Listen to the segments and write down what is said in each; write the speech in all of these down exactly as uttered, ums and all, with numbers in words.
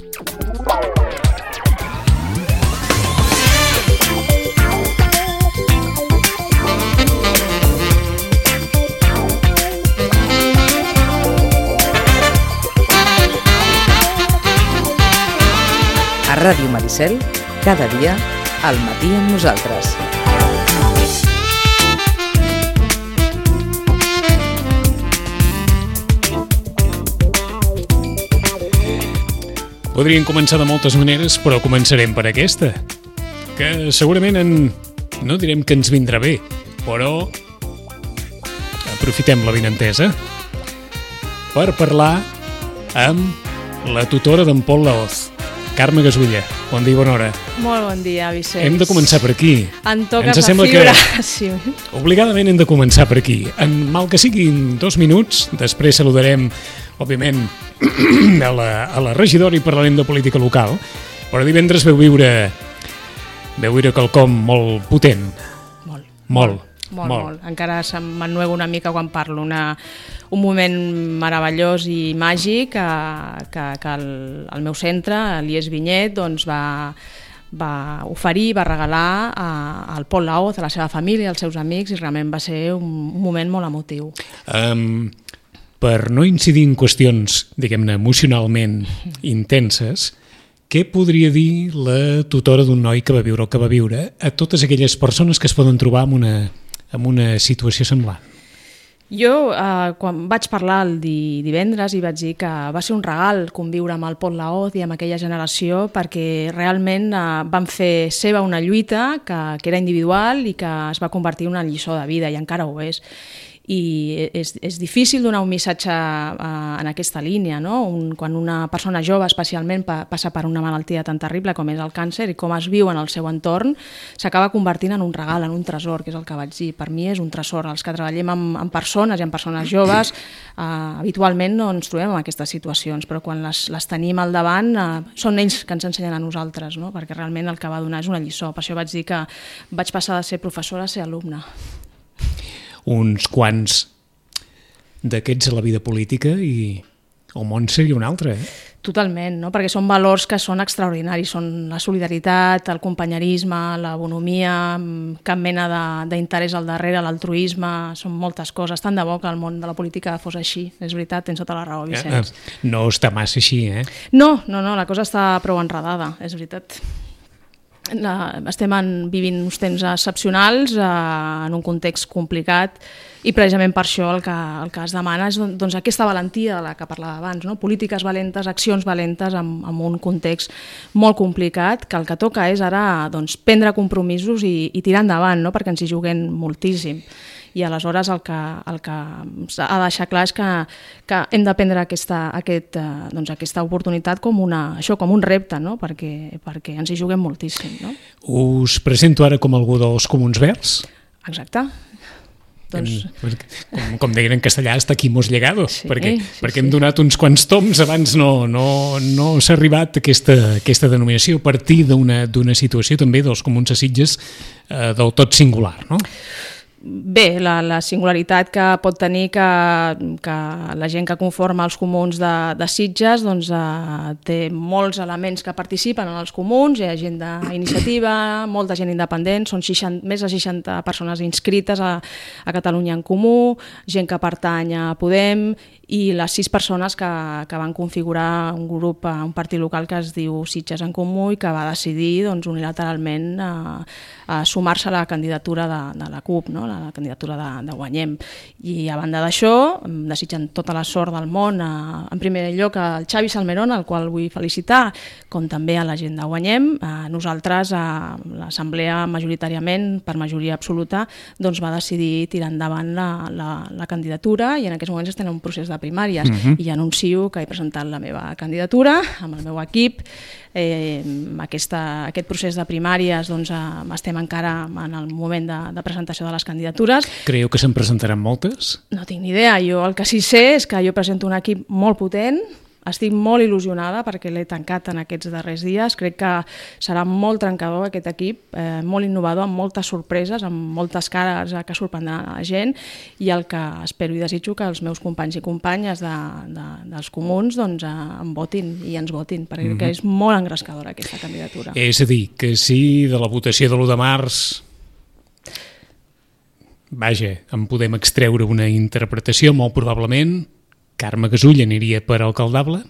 A Ràdio Maricel, cada dia, al matí amb nosaltres. Podríem començar de moltes maneres, però començarem per aquesta, que segurament en... no direm que ens vindrà bé, però aprofitem la benentesa per parlar amb la tutora d'en Pol Laoz. Carme Gasulla, bon dia i bona hora. Molt bon dia, Vicenç. Hem de començar per aquí. En toques Ens la fibra. Que sí. Obligadament hem de començar per aquí. En mal que siguin dos minuts, després saludarem, òbviament, a la, a la regidora i parlarem de política local, però divendres veu viure, veu viure quelcom molt potent. Molt. Molt. Molt, molt. molt. Encara m'ennuego una mica quan parlo. Una, un moment meravellós i màgic que, que, que el, el meu centre, l'I E S Vinyet, doncs va, va oferir, va regalar a, al Pol Laoz, a la seva família, als seus amics, i realment va ser un, un moment molt emotiu. Um, per no incidir en qüestions, diguem-ne, emocionalment intenses, què podria dir la tutora d'un noi que va viure el que va viure a totes aquelles persones que es poden trobar en una, en una situació semblant? Jo, eh, quan vaig parlar el di divendres, i vaig dir que va ser un regal conviure amb el Pol Laoz i amb aquella generació, perquè realment eh, van fer seva una lluita que, que era individual i que es va convertir en una lliçó de vida, i encara ho és. I és, és difícil donar un missatge eh, en aquesta línia, no? Un, quan una persona jove especialment pa, passa per una malaltia tan terrible com és el càncer i com es viu en el seu entorn, s'acaba convertint en un regal, en un tresor, que és el que vaig dir. Per mi és un tresor. Els que treballem amb, amb persones i amb persones joves eh, habitualment no ens trobem en aquestes situacions, però quan les, les tenim al davant eh, són ells que ens ensenyen a nosaltres, no? Perquè realment el que va donar és una lliçó. Per això vaig dir que vaig passar de ser professora a ser alumna. Uns quants d'aquests a la vida política i el món seria un altre, eh? Totalment, no? Perquè són valors que són extraordinaris, són la solidaritat, el companyerisme, la bonomia, cap mena d'interès al darrere, l'altruisme, són moltes coses. Tant de bo que el món de la política fos així, és veritat, tens tota la raó, Vicenç. No està massa així, eh? No, no, no, la cosa està prou enredada, és veritat. La, estem en, vivint uns temps excepcionals eh, en un context complicat, i precisament per això el que, el que es demana és doncs, aquesta valentia de la que parlava abans, no? Polítiques valentes, accions valentes en, en un context molt complicat, que el que toca és ara doncs, prendre compromisos i, i tirar endavant, no? Perquè ens hi juguem moltíssim. I aleshores el que, el que ha de deixar clar és que, que hem de prendre aquesta, aquest, doncs aquesta oportunitat com, una, això, com un repte, no? perquè, perquè ens hi juguem moltíssim. No? Us presento ara com algú dels Comuns Verds? Exacte. Doncs... Com, com deien en castellà, hasta aquí hemos llegado, sí, perquè, sí, perquè sí. hem donat uns quants toms, abans no, no, no s'ha arribat a aquesta, aquesta denominació a partir d'una situació també dels Comuns de Sitges eh, del tot singular, no? Bé, la, la singularitat que pot tenir que, que la gent que conforma els comuns de, de Sitges doncs, eh, té molts elements que participen en els comuns, hi ha gent d'iniciativa, molta gent independent, són seixanta, més de seixanta persones inscrites a, a Catalunya en Comú, gent que pertany a Podem, i les sis persones que, que van configurar un grup, un partit local que es diu Sitges en Comú i que va decidir doncs, unilateralment a, a sumar-se a la candidatura de, de la CUP, no? La candidatura de, de Guanyem. I a banda d'això, desitgen tota la sort del món, a, en primer lloc al Xavi Salmerón, al qual vull felicitar, com també a la gent de Guanyem. A nosaltres, a l'assemblea majoritàriament, per majoria absoluta, doncs va decidir tirar endavant la, la, la candidatura, i en aquests moments estem en un procés de primàries, uh-huh. i anuncio que he presentat la meva candidatura amb el meu equip. Eh, aquesta, aquest procés de primàries doncs, eh, estem encara en el moment de, de presentació de les candidatures. Creieu que se'n presentaran moltes? No tinc ni idea. Jo el que sí sé és que jo presento un equip molt potent, estic molt il·lusionada perquè l'he tancat en aquests darrers dies. Crec que serà molt trencador aquest equip, eh, molt innovador, amb moltes sorpreses, amb moltes cares que sorprendran a la gent, i el que espero i desitjo que els meus companys i companyes de, de, dels comuns doncs, eh, em votin i ens votin, perquè mm-hmm. crec que és molt engrescadora aquesta candidatura. És a dir, que si de la votació de l'u de març vaja, en podem extreure una interpretació, molt probablement Carme Gasull aniria per alcaldable?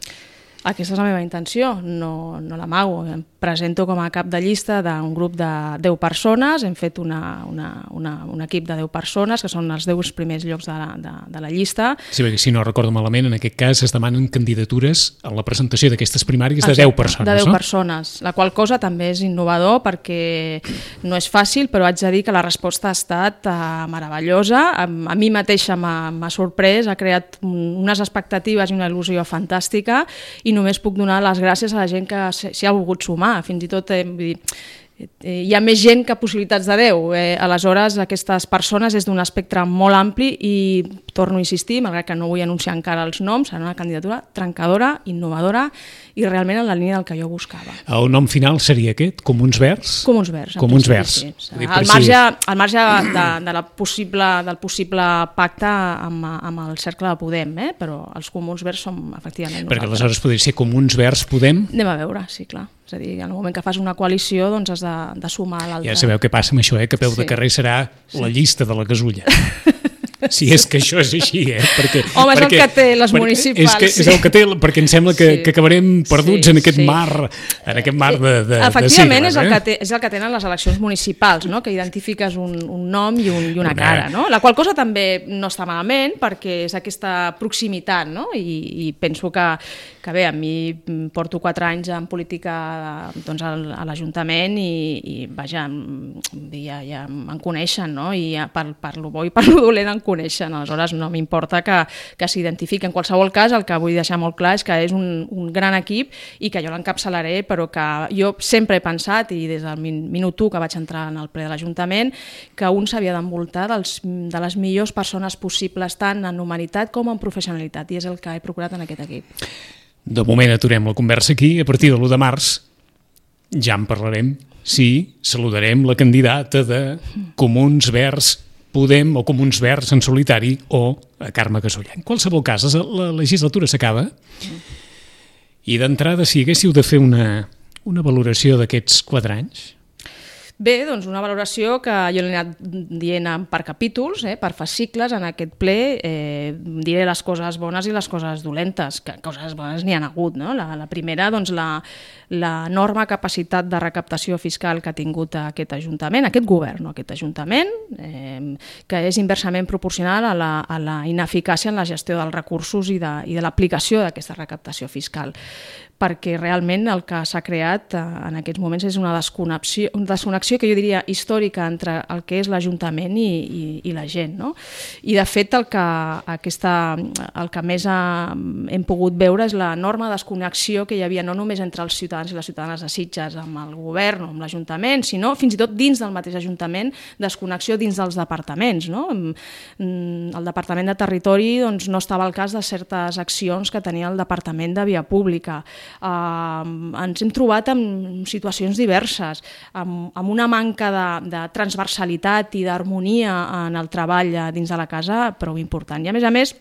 Aquesta és la meva intenció, no, no l'amago. Em presento com a cap de llista d'un grup de deu persones, hem fet una, una, una, un equip de deu persones, que són els deu primers llocs de la, de, de la llista. Sí, perquè si no recordo malament, en aquest cas es demanen candidatures a la presentació d'aquestes primàries de Exacte, deu persones, de deu no? persones, la qual cosa també és innovador perquè no és fàcil, però haig de dir que la resposta ha estat uh, meravellosa. A, a mi mateixa m'ha sorprès, ha creat unes expectatives i una il·lusió fantàstica, i només puc donar les gràcies a la gent que s'hi ha volgut sumar. Fins i tot, eh, vull dir, eh, hi ha més gent que possibilitats de Déu. Eh, aleshores, aquestes persones és d'un espectre molt ampli i, torno a insistir, malgrat que no vull anunciar encara els noms, serà una candidatura trencadora, innovadora i realment en la línia del que jo buscava. El nom final seria aquest? Comuns Verds? Comuns Verds. Comuns Verds. Sí, sí. Al marge, al marge de, de la possible, del possible pacte amb, amb el cercle de Podem, eh? Però els Comuns Verds som efectivament nosaltres. Perquè aleshores podria ser Comuns Verds Podem? Anem a veure, sí, clar. És a dir, en el moment que fas una coalició doncs has de, de sumar l'altre. Ja sabeu què passa amb això, eh? Que a peu sí. de carrer serà sí. la llista de la Gasulla. Si és que això és així, eh? Perquè, Home, és perquè, el que té les municipals. És, que, sí. és el que té, perquè em sembla que, sí. que acabarem perduts sí, en aquest sí. mar, en aquest mar de, de, Efectivament, de sigles. És el, eh? que té, és el que tenen les eleccions municipals, no? Que identifiques un, un nom i, un, i una cara, no? La qual cosa també no està malament perquè és aquesta proximitat, no? I, i penso que, que bé, a mi porto quatre anys en política doncs, a l'Ajuntament i, i vaja, ja, ja em coneixen, no? I per, per lo bo i per lo dolent em coneixen, aleshores no m'importa que, que s'identifiqui. En qualsevol cas, el que vull deixar molt clar és que és un, un gran equip i que jo l'encapçalaré, però que jo sempre he pensat, i des del minut u que vaig entrar en el ple de l'Ajuntament, que un s'havia d'envoltar de les millors persones possibles, tant en humanitat com en professionalitat, i és el que he procurat en aquest equip. De moment aturem la conversa aquí, a partir de l'u de març ja en parlarem, sí, saludarem la candidata de Comuns Verds Podem o Comuns Verds en solitari o a Carme Gasull. En qualsevol cas, la legislatura s'acaba i d'entrada, si haguéssiu de fer una, una valoració d'aquests quatre anys... Bé, doncs una valoració que jo l'he anat dient per capítols, eh, per fascicles en aquest ple, eh, diré les coses bones i les coses dolentes, que coses bones n'hi ha hagut, no? La, la primera, doncs la, la enorme capacitat de recaptació fiscal que ha tingut aquest Ajuntament, aquest govern, no aquest Ajuntament, eh, que és inversament proporcional a la, a la ineficàcia en la gestió dels recursos i de, i de l'aplicació d'aquesta recaptació fiscal, perquè realment el que s'ha creat en aquests moments és una desconnexió, una desconnexió que jo diria històrica entre el que és l'Ajuntament i, i, i la gent, no? I de fet el que, aquesta, el que més ha, hem pogut veure és l'enorme desconnexió que hi havia no només entre els ciutadans i les ciutadanes de Sitges amb el govern o amb l'Ajuntament, sinó fins i tot dins del mateix Ajuntament, desconnexió dins dels departaments, no? El Departament de Territori doncs, no estava al cas de certes accions que tenia el Departament de Via Pública. Uh, ens hem trobat en situacions diverses, amb, amb una manca de, de transversalitat i d'harmonia en el treball dins de la casa prou important. I a més a més,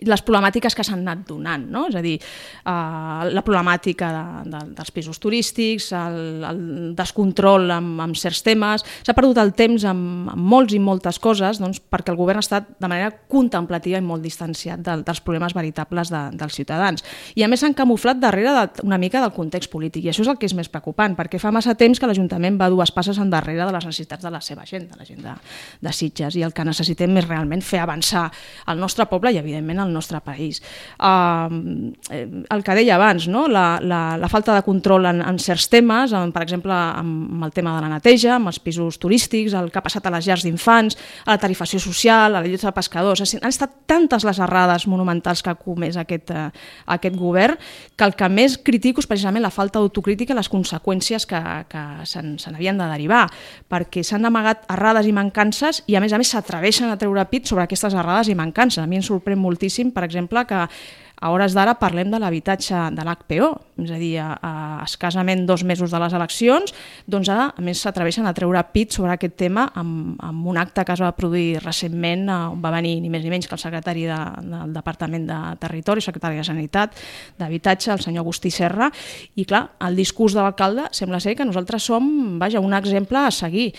les problemàtiques que s'han anat donant, no? És a dir, uh, la problemàtica de, de, dels pisos turístics, el, el descontrol amb, amb certs temes, s'ha perdut el temps amb, amb molts i moltes coses doncs, perquè el govern ha estat de manera contemplativa i molt distanciat de, dels problemes veritables de, dels ciutadans. I a més s'han camuflat darrere de, una mica del context polític, i això és el que és més preocupant, perquè fa massa temps que l'Ajuntament va dues passes endarrere de les necessitats de la seva gent, de la gent de, de Sitges, i el que necessitem és realment fer avançar el nostre poble i, evidentment, al nostre país. Uh, el que deia abans, no? la, la, la falta de control en, en certs temes, en, per exemple, amb el tema de la neteja, amb els pisos turístics, el que ha passat a les llars d'infants, a la tarifació social, a la lluita de pescadors. Han estat tantes les errades monumentals que ha comès aquest, uh, aquest govern que el que més critico és precisament la falta d'autocrítica i les conseqüències que, que se n'havien de derivar, perquè s'han amagat errades i mancances i, a més a més, s'atreveixen a treure pit sobre aquestes errades i mancances. A mi em sorprèn moltíssim justíssim, per exemple, que a hores d'ara parlem de l'habitatge de l'H P O, és a dir, a, a escassament dos mesos de les eleccions, doncs ara, a més, s'atreveixen a treure pit sobre aquest tema amb, amb un acte que es va produir recentment, on va venir ni més ni menys que el secretari de, del Departament de Territori, secretari de Sanitat, d'Habitatge, el senyor Agustí Serra, i clar, el discurs de l'alcalde sembla ser que nosaltres som, vaja, un exemple a seguir.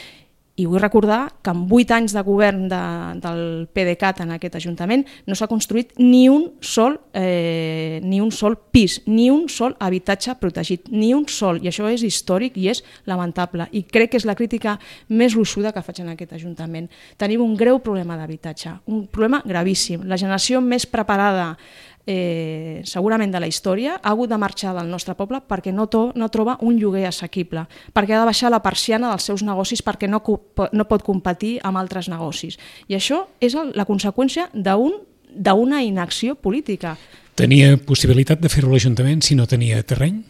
I vull recordar que en vuit anys de govern de, del PDeCAT en aquest Ajuntament no s'ha construït ni un sol eh, ni un sol pis, ni un sol habitatge protegit, ni un sol, i això és històric i és lamentable, i crec que és la crítica més gruixuda que faig en aquest Ajuntament. Tenim un greu problema d'habitatge, un problema gravíssim. La generació més preparada Eh, segurament de la història, ha hagut de marxar del nostre poble perquè no, to, no troba un lloguer assequible, perquè ha de baixar la persiana dels seus negocis perquè no, no pot competir amb altres negocis. I això és el, la conseqüència d'un, d'una inacció política. Tenia possibilitat de fer-ho l'Ajuntament si no tenia terreny?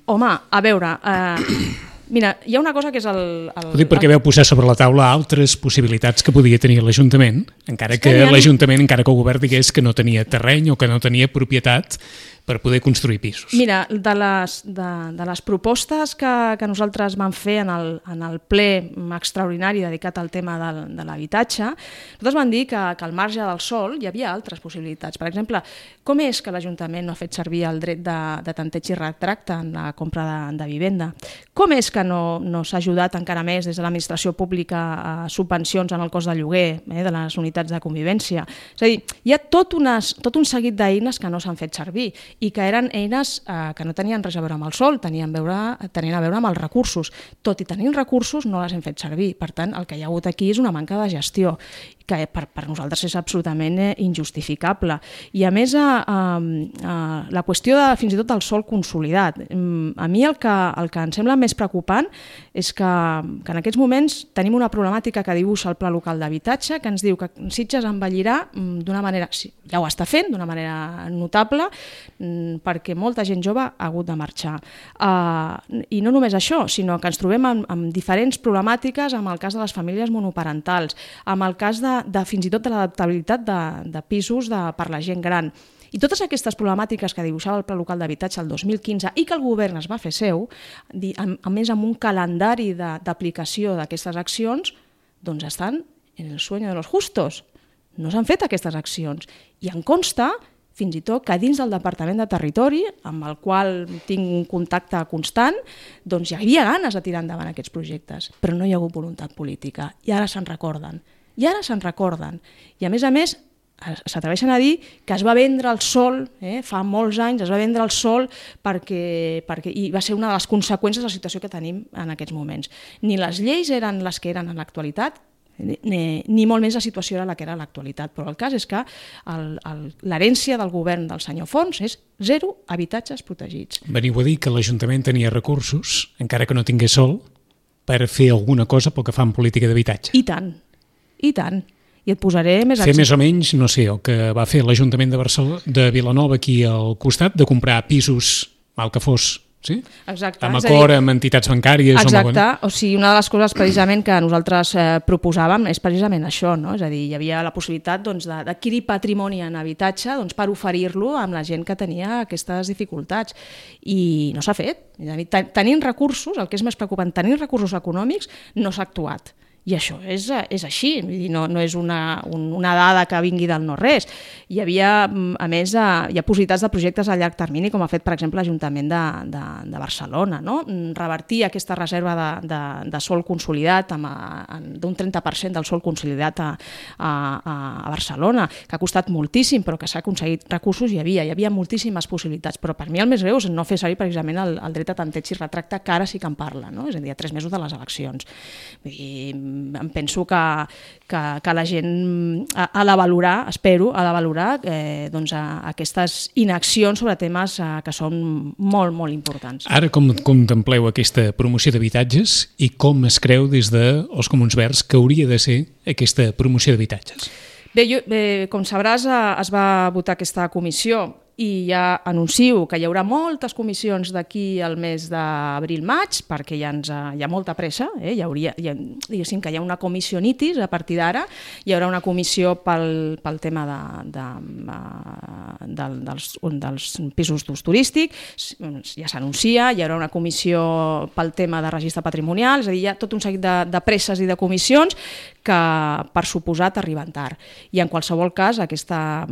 Home, a veure... Eh, Mira, hi ha una cosa que és el... el Ho dic perquè el... veu posar sobre la taula altres possibilitats que podia tenir l'Ajuntament, encara que, que ha... l'Ajuntament, encara que el govern digués que no tenia terreny o que no tenia propietat per poder construir pisos. Mira, de les, de, de les propostes que, que nosaltres vam fer en el, en el ple extraordinari dedicat al tema del, de l'habitatge, nosaltres vam dir que, que al marge del sòl hi havia altres possibilitats. Per exemple, com és que l'Ajuntament no ha fet servir el dret de, de tanteig i retracte en la compra de, de vivenda? Com és que no, no s'ha ajudat encara més des de l'administració pública a subvencions en el cost de lloguer eh, de les unitats de convivència? És a dir, hi ha tot, unes, tot un seguit d'eines que no s'han fet servir i que eren eines eh, que no tenien res a veure amb el sòl, tenien, veure, tenien a veure amb els recursos. Tot i tenir recursos no les hem fet servir. Per tant, el que hi ha hagut aquí és una manca de gestió, que per, per nosaltres és absolutament eh, injustificable. I a més, eh, eh, la qüestió de fins i tot del sòl consolidat. A mi el que, el que em sembla més preocupant és que, que en aquests moments tenim una problemàtica que dibuixa el Pla Local d'Habitatge, que ens diu que Sitges envellirà d'una manera, ja ho està fent, d'una manera notable, perquè molta gent jove ha hagut de marxar. Uh, I no només això, sinó que ens trobem amb, amb diferents problemàtiques amb el cas de les famílies monoparentals, amb el cas de, de fins i tot de l'adaptabilitat de, de pisos de, per la gent gran. I totes aquestes problemàtiques que dibuixava el Pla Local d'Habitatge el dos mil quinze i que el govern es va fer seu, a més amb un calendari d'aplicació d'aquestes accions, doncs estan en el sueño de los justos. No s'han fet aquestes accions. I em consta fins i tot que dins del Departament de Territori, amb el qual tinc un contacte constant, doncs hi havia ganes de tirar endavant aquests projectes, però no hi ha hagut voluntat política. I ara se'n recorden. I ara se'n recorden. I a més a més, s'atreveixen a dir que es va vendre el sòl, eh, fa molts anys es va vendre el sòl perquè, perquè i va ser una de les conseqüències de la situació que tenim en aquests moments. Ni les lleis eren les que eren en l'actualitat, Ni, ni molt més la situació era la que era l'actualitat, però el cas és que l'herència del govern del senyor Fons és zero habitatges protegits. Veniu a dir que l'Ajuntament tenia recursos, encara que no tingués sòl, per fer alguna cosa pel que fa en política d'habitatge. I tant, i tant. I et posaré més... Fer més o menys, no sé, el que va fer l'Ajuntament de Barcelona, de Vilanova aquí al costat, de comprar pisos, mal que fos, sí? Exacte. Amb acord amb entitats bancàries. Exacte, o sigui, una de les coses precisament que nosaltres eh, proposàvem és precisament això, no? És a dir, hi havia la possibilitat doncs, d'adquirir patrimoni en habitatge doncs, per oferir-lo amb la gent que tenia aquestes dificultats i no s'ha fet. Tenint recursos, el que és més preocupant, tenint recursos econòmics, no s'ha actuat. I això és, és així, no, no és una, una dada que vingui del no-res. Hi havia, a més, hi ha possibilitats de projectes a llarg termini, com ha fet, per exemple, l'Ajuntament de, de, de Barcelona, no? Revertir aquesta reserva de, de, de sòl consolidat d'un trenta per cent del sòl consolidat a, a, a Barcelona, que ha costat moltíssim, però que s'ha aconseguit recursos, hi havia, hi havia moltíssimes possibilitats, però per mi el més greu és no fer servir precisament el, el dret a tanteig i retracte, que ara sí que en parla, no? És a dir, a tres mesos de les eleccions. Vull dir, em penso que, que, que la gent ha, ha de valorar, espero, ha de valorar eh, doncs, a, aquestes inaccions sobre temes eh, que són molt, molt importants. Ara com contempleu aquesta promoció d'habitatges i com es creu des dels Comuns Verds que hauria de ser aquesta promoció d'habitatges? Bé, jo, bé, com sabràs, es va votar aquesta comissió i ja anuncio que hi haurà moltes comissions d'aquí al mes d'abril-maig, perquè ja, ens, hi ha molta pressa, eh? hi hauria, hi ha, diguéssim que hi ha una comissió nitis a partir d'ara, hi haurà una comissió pel, pel tema de, de, de, dels, dels pisos d'ús turístic, ja s'anuncia, hi haurà una comissió pel tema de registre patrimonial, és a dir, hi ha tot un seguit de, de presses i de comissions que per suposat arriben tard. I en qualsevol cas aquesta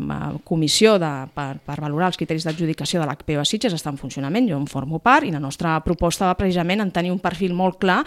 comissió de, per, per valorar els criteris d'adjudicació de l'H P O a Sitges està en funcionament, jo en formo part, i la nostra proposta va precisament en tenir un perfil molt clar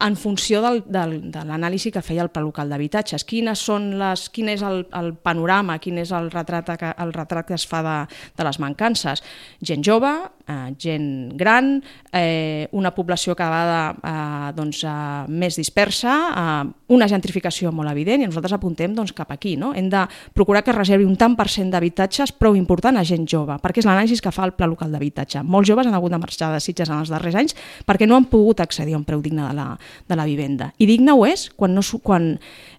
en funció del, del, de l'anàlisi que feia el Pla Local d'Habitatges. Quines són les, quin és el, el panorama, quin és el retrat, el retrat que es fa de, de les mancances? Gent jove, eh, gent gran, eh, una població cada vegada eh, doncs, eh, més dispersa, eh, una gentrificació molt evident, i nosaltres apuntem doncs, cap aquí. No? Hem de procurar que es reservi un tant per cent d'habitatges prou important a gent jove, perquè és l'anàlisi que fa el Pla Local d'Habitatge. Molts joves han hagut de marxar de Sitges en els darrers anys perquè no han pogut accedir a un preu digne de la, de la vivenda. I digne ho és quan no, quan,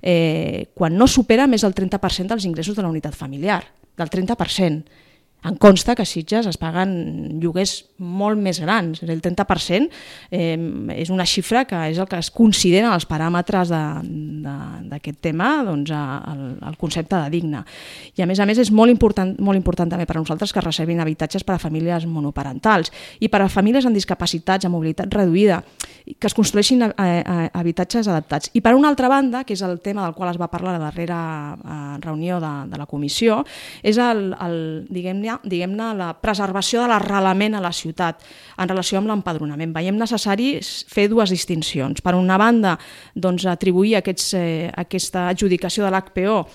eh, quan no supera més del trenta per cent dels ingressos de la unitat familiar, del trenta per cent. Em consta que a Sitges es paguen lloguers molt més grans. El trenta per cent eh, és una xifra que és el que es considera els paràmetres d'aquest tema, doncs, el, el concepte de digne. I a més a més és molt important, molt important també per a nosaltres que es reservin habitatges per a famílies monoparentals i per a famílies amb discapacitats, amb mobilitat reduïda, que es construeixin eh, eh, habitatges adaptats. I per una altra banda, que és el tema del qual es va parlar a la darrera eh, reunió de, de la comissió, és el, el diguem-ne diguem-ne, la preservació de l'arrelament a la ciutat en relació amb l'empadronament. Veiem necessari fer dues distincions. Per una banda, doncs, atribuir aquests, eh, aquesta adjudicació de l'H P O a,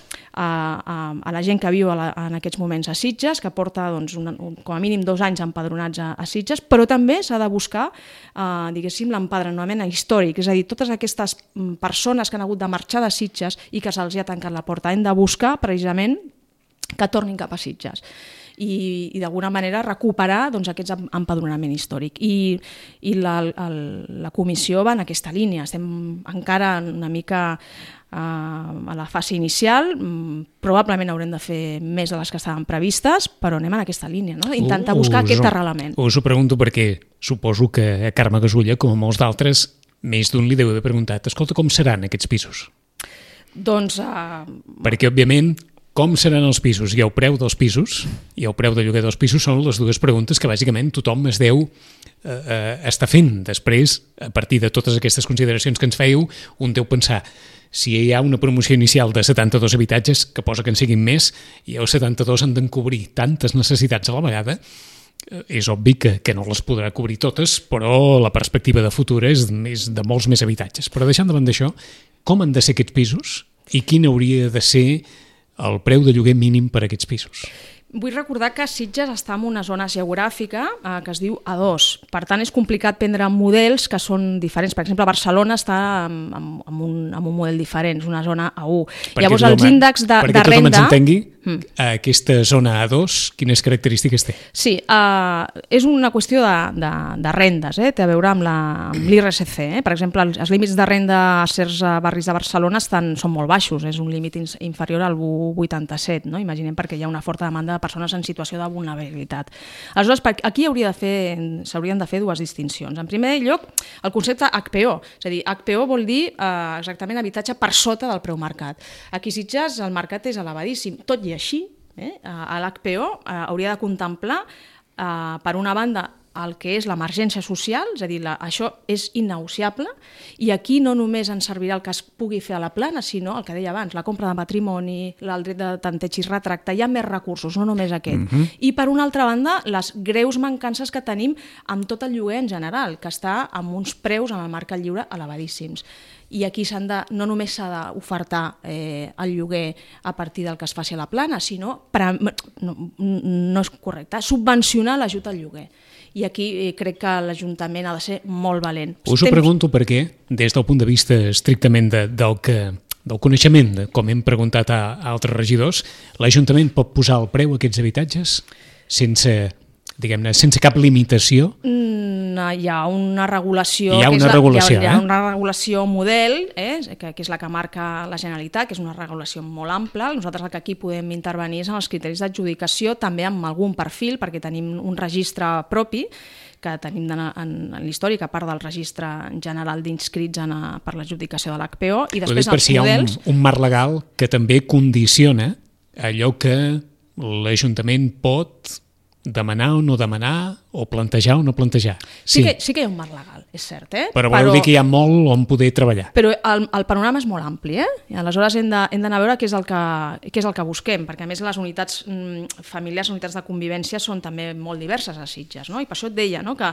a, a la gent que viu a la, en aquests moments a Sitges, que porta doncs, un, un, com a mínim dos anys empadronats a, a Sitges, però també s'ha de buscar eh, diguéssim, l'empadronament històric, és a dir, totes aquestes persones que han hagut de marxar de Sitges i que se'ls ha tancat la porta. Hem de buscar precisament que tornin cap a Sitges i, i d'alguna manera recuperar doncs, aquest empadronament històric. I, i la, el, la comissió va en aquesta línia. Estem encara una mica uh, a la fase inicial, probablement haurem de fer més de les que estaven previstes, però anem en aquesta línia, no? Intentar buscar uh, aquest arrelament. Us ho pregunto perquè suposo que a Carme Gasulla, com a molts d'altres, més d'un li deu haver preguntat, escolta, com seran aquests pisos? Doncs... Uh... Perquè, òbviament, com seran els pisos i el preu dels pisos i el preu de lloguer dels pisos són les dues preguntes que bàsicament tothom es deu eh, eh, estar fent. Després, a partir de totes aquestes consideracions que ens fèieu, un deu pensar si hi ha una promoció inicial de setanta-dos habitatges, que posa que en siguin més, i els setanta-dos han d'encobrir tantes necessitats a la vegada, és obvi que, que no les podrà cobrir totes, però la perspectiva de futur és més, de molts més habitatges. Però deixant davant d'això, com han de ser aquests pisos i quin hauria de ser el preu de lloguer mínim per a aquests pisos? Vull recordar que Sitges està en una zona geogràfica eh, que es diu A dos. Per tant, és complicat prendre models que són diferents. Per exemple, Barcelona està amb, amb, amb, un, amb un model diferent, és una zona A u. Perquè Llavors, els índexs de, de renda... Perquè tothom ens entengui, mm. aquesta zona A dos, quines característiques té? Sí, eh, és una qüestió de, de, de rendes, eh? Té a veure amb l'I R S C. Eh? Per exemple, els, els límits de renda a certs barris de Barcelona estan, són molt baixos, és un límit inferior al u coma vuitanta-set, no? Imaginem, perquè hi ha una forta demanda de persones en situació de vulnerabilitat. Aleshores, aquí hauria de fer, s'haurien de fer dues distincions. En primer lloc, el concepte H P O, és a dir, H P O vol dir eh, exactament habitatge per sota del preu marcat. Aquí a Sitges el mercat és elevadíssim, tot i així, eh, l'H P O eh, hauria de contemplar, eh, per una banda, el que és l'emergència social, és a dir, la, això és innegociable, i aquí no només ens servirà el que es pugui fer a la plana, sinó el que deia abans, la compra de patrimoni, el dret de tanteig i retracte, hi ha més recursos, no només aquest. Uh-huh. I per una altra banda, les greus mancances que tenim amb tot el lloguer en general, que està amb uns preus en el mercat lliure elevadíssims. I aquí s'han de, no només s'ha d'ofertar eh, el lloguer a partir del que es faci a la plana, sinó, per, no, no és correcte, subvencionar l'ajut al lloguer. I aquí eh, crec que l'Ajuntament ha de ser molt valent. Us ho Temps... pregunto perquè, des del punt de vista estrictament de, del, que, del coneixement, de, com hem preguntat a, a altres regidors, l'Ajuntament pot posar el preu a aquests habitatges sense, diguem-ne, sense cap limitació? Mm, hi ha una regulació... Hi ha que és una la, regulació, hi ha, hi ha eh? una regulació model, eh? que, que és la que marca la Generalitat, que és una regulació molt ampla. Nosaltres el que aquí podem intervenir és en els criteris d'adjudicació, també amb algun perfil, perquè tenim un registre propi, que tenim en, en, en l'històric, a part del registre general d'inscrits per l'adjudicació de l'H P O, i després per els si models... Hi ha un, un marc legal que també condiciona allò que l'Ajuntament pot demanar o no demanar, o plantejar o no plantejar. Sí, sí, que, sí que hi ha un marc legal, és cert, eh? Però voleu dir que hi ha molt on poder treballar. Però el, el panorama és molt ampli, eh? I aleshores hem d'anar a veure què és, el que, què és el que busquem, perquè a més les unitats mm, familiars, unitats de convivència són també molt diverses a Sitges, no? I per això et deia, no? que,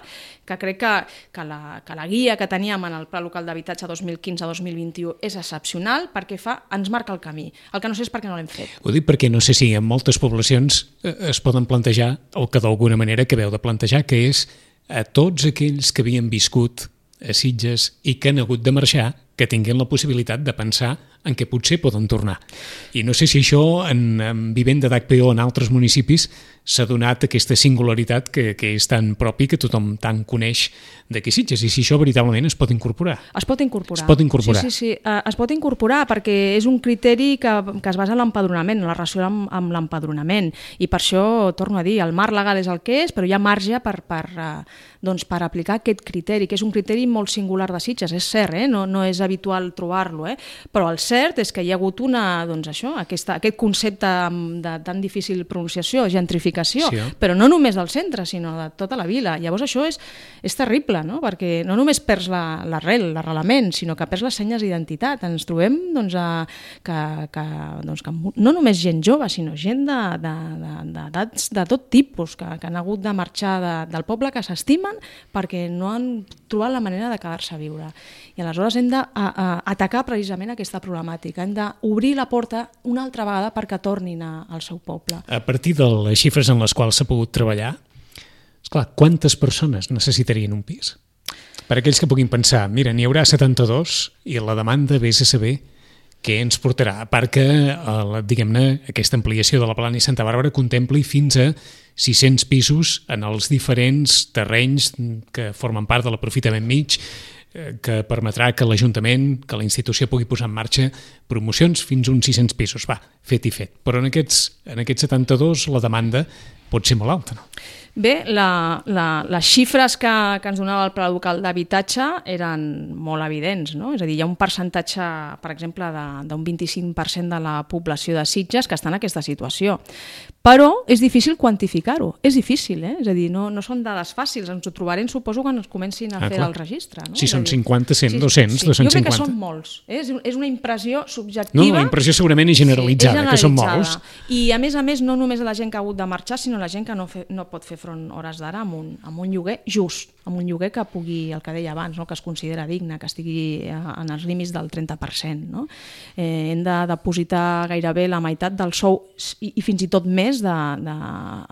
que crec que, que, la, que la guia que teníem en el Pla Local d'Habitatge dos mil quinze a dos mil vint-i-u és excepcional perquè fa, ens marca el camí. El que no sé és per què no l'hem fet. Ho dic perquè no sé si en moltes poblacions es poden plantejar el que d'alguna manera acabeu de plantejar, que és a tots aquells que havien viscut a Sitges i que han hagut de marxar, que tinguin la possibilitat de pensar en què potser poden tornar. I no sé si això, en, en vivenda d'H P O en altres municipis, s'ha donat aquesta singularitat que, que és tan propi, que tothom tant coneix d'aquí Sitges, i si això veritablement es pot incorporar. Es pot incorporar. Es pot incorporar. Sí, sí, sí. Uh, es pot incorporar perquè és un criteri que, que es basa en l'empadronament, en la relació amb, amb l'empadronament, i per això, torno a dir, el marc legal és el que és, però hi ha marge per, per, uh, doncs per aplicar aquest criteri, que és un criteri molt singular de Sitges, és cert, eh? no, no és habitual trobar-lo, eh? Però el cert és que hi ha hagut una, doncs això, aquesta, aquest concepte de tan difícil pronunciació, gentrificació, sí, eh? Però no només del centre, sinó de tota la vila. Llavors això és, és terrible, no? Perquè no només perds l'arrel, la, l'arrelament, sinó que perds les senyes d'identitat. Ens trobem doncs, a, que, que, doncs, que no només gent jove, sinó gent d'edats de, de, de, de tot tipus, que, que han hagut de marxar de, del poble que s'estimen perquè no han trobat la manera de quedar-se a viure. I aleshores hem d'atacar precisament aquesta problemàtica, hem d'obrir la porta una altra vegada perquè tornin a, al seu poble. A partir de les xifres en les quals s'ha pogut treballar, esclar, quantes persones necessitarien un pis? Per aquells que puguin pensar, mira, n'hi haurà setanta-dos i la demanda vés a saber què ens portarà, a part que diguem-ne, aquesta ampliació de la Plana i Santa Bàrbara contempli fins a sis-cents pisos en els diferents terrenys que formen part de l'aprofitament mig, que permetrà que l'Ajuntament, que la institució pugui posar en marxa promocions fins a uns sis-cents pisos. Va, fet i fet. Però en aquests, en aquests setanta-dos la demanda pot ser molt alta, no? Bé, la, la, les xifres que, que ens donava el Pla Local d'Habitatge eren molt evidents, no? És a dir, hi ha un percentatge, per exemple, d'un vint-i-cinc per cent de la població de Sitges que està en aquesta situació. Però és difícil quantificar-ho, és difícil, eh? És a dir, no, no són dades fàcils, ens ho trobarem, suposo, quan ens comencin a ah, fer clar. El registre. No? Si són dir, cinquanta, cent, sí, dos-cents, sí. dos-cents cinquanta. Jo crec que són molts, eh? és, és una impressió subjectiva. No, la impressió segurament és generalitzada, sí, és generalitzada, que són molts. I a més a més, no només la gent que ha hagut de marxar, sinó la gent que no, fe, no pot fer front hores d'ara amb, un, amb un lloguer just, amb un lloguer que pugui, el que deia abans, no? Que es considera digne, que estigui en els límits del trenta per cent. No? Eh, hem de depositar gairebé la meitat del sou i, i fins i tot més de, de,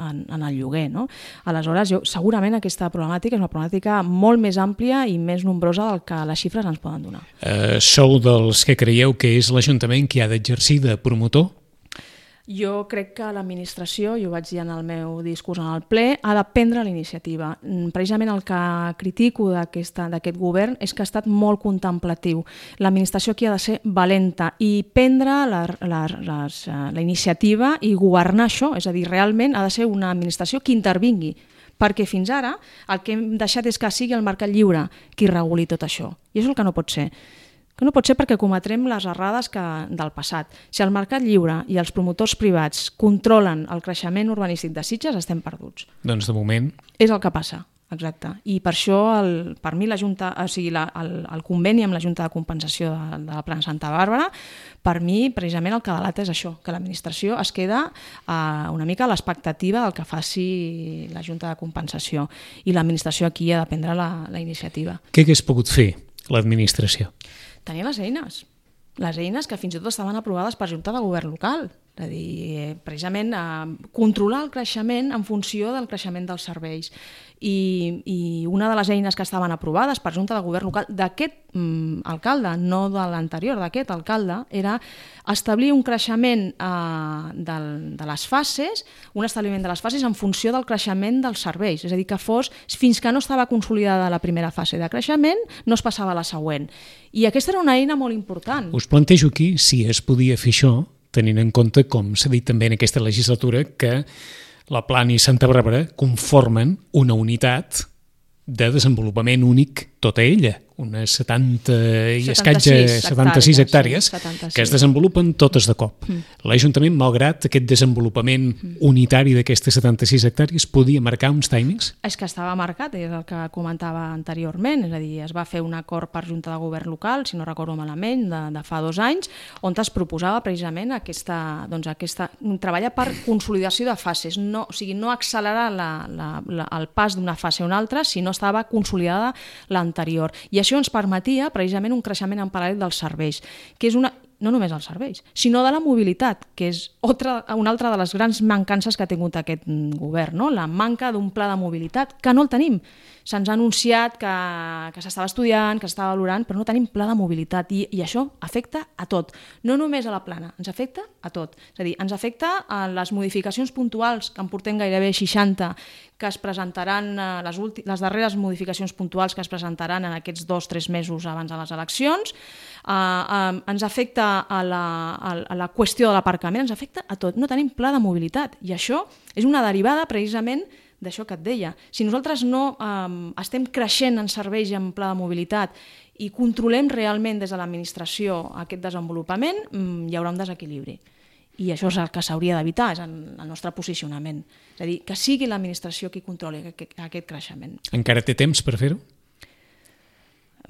en, en el lloguer. No? Aleshores, jo, segurament aquesta problemàtica és una problemàtica molt més àmplia i més nombrosa del que les xifres ens poden donar. Uh, sou dels que creieu que és l'Ajuntament qui ha d'exercir de promotor? Jo crec que l'administració, jo ho vaig dir en el meu discurs en el ple, ha de prendre la iniciativa. Precisament el que critico d'aquest govern és que ha estat molt contemplatiu. L'administració aquí ha de ser valenta i prendre la, la, les, la iniciativa i governar això, és a dir, realment ha de ser una administració que intervingui, perquè fins ara el que hem deixat és que sigui el mercat lliure qui reguli tot això. I això és el que no pot ser. Que no pot ser perquè cometrem les errades que, del passat. Si el mercat lliure i els promotors privats controlen el creixement urbanístic de Sitges, estem perduts. Doncs de moment... És el que passa, exacte. I per això, el, per mi, la Junta, o sigui, la, el, el conveni amb la Junta de Compensació de, de la Plana Santa Bàrbara, per mi, precisament, el que delata és això, que l'administració es queda eh, una mica a l'expectativa del que faci la Junta de Compensació. I l'administració aquí ha de prendre la, la iniciativa. Què hagués pogut fer l'administració? Tenia les eines, les eines que fins i tot estaven aprovades per Junta de Govern local. és a dir, precisament eh, controlar el creixement en funció del creixement dels serveis. I, i una de les eines que estaven aprovades per Junta de Govern local d'aquest mm, alcalde, no de l'anterior, d'aquest alcalde, era establir un creixement eh, del, de les fases, un establiment de les fases en funció del creixement dels serveis, és a dir, que fos, fins que no estava consolidada la primera fase de creixement, no es passava a la següent. I aquesta era una eina molt important. Us plantejo aquí si es podia fer això, tenint en compte, com s'ha dit també en aquesta legislatura, que la Plana i Santa Bàrbara conformen una unitat de desenvolupament únic tota ella, unes setanta i escatges, setanta-sis hectàrees, sí, setanta-sis, que es desenvolupen totes de cop. Mm. L'Ajuntament, malgrat aquest desenvolupament mm. unitari d'aquestes setanta-sis hectàrees, podia marcar uns timings? És que estava marcat, és el que comentava anteriorment, és a dir, es va fer un acord per Junta de Govern local, si no recordo malament, de, de fa dos anys, on es proposava precisament aquesta, doncs aquesta, treballar per consolidació de fases, no, o sigui, no accelerar la, la, la, el pas d'una fase a una altra, sinó estava consolidada l'anterior. I això ens permetia precisament un creixement en paral·lel dels serveis, que és una, no només els serveis, sinó de la mobilitat, que és altra, una altra de les grans mancances que ha tingut aquest govern, no? La manca d'un pla de mobilitat, que no el tenim. Se'ns ha anunciat que, que s'estava estudiant, que s'estava valorant, però no tenim pla de mobilitat i, i això afecta a tot, no només a la Plana, ens afecta a tot. És a dir, ens afecta a les modificacions puntuals, que en portem gairebé seixanta, que es presentaran, les, últim, les darreres modificacions puntuals que es presentaran en aquests dos o tres mesos abans de les eleccions, uh, uh, ens afecta a la, a la qüestió de l'aparcament, ens afecta a tot, no tenim pla de mobilitat i això és una derivada precisament d'això que et deia. Si nosaltres no eh, estem creixent en serveis i en pla de mobilitat i controlem realment des de l'administració aquest desenvolupament, hi haurà un desequilibri. I això és el que s'hauria d'evitar, és el nostre posicionament. És a dir, que sigui l'administració qui controli aquest creixement. Encara té temps per fer-ho?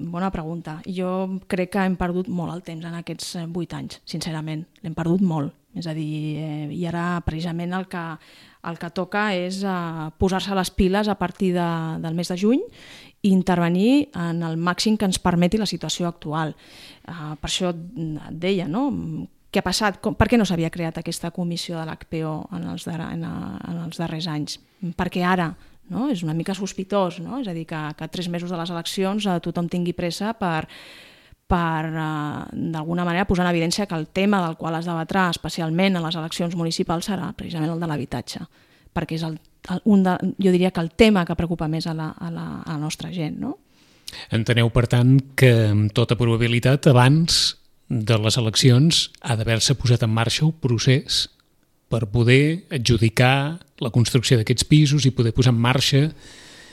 Bona pregunta. Jo crec que hem perdut molt el temps en aquests vuit anys, sincerament. L'hem perdut molt. És a dir, eh, i ara precisament el que, el que toca és eh, posar-se les piles a partir de, del mes de juny i intervenir en el màxim que ens permeti la situació actual. Eh, per això et deia, no?, què ha passat? Com, per què no s'havia creat aquesta comissió de l'H P O en els, dar en, en els darrers anys? Perquè ara, no? És una mica sospitós, no? És a dir, que, que tres mesos de les eleccions eh, tothom tingui pressa per, per eh, d'alguna manera posar en evidència que el tema del qual es debatrà especialment en les eleccions municipals serà precisament el de l'habitatge, perquè és el, el, un de, jo diria que el tema que preocupa més a la, a la, a la nostra gent, no? Enteneu, per tant, que amb tota probabilitat abans de les eleccions ha d'haver-se posat en marxa un procés per poder adjudicar la construcció d'aquests pisos i poder posar en marxa...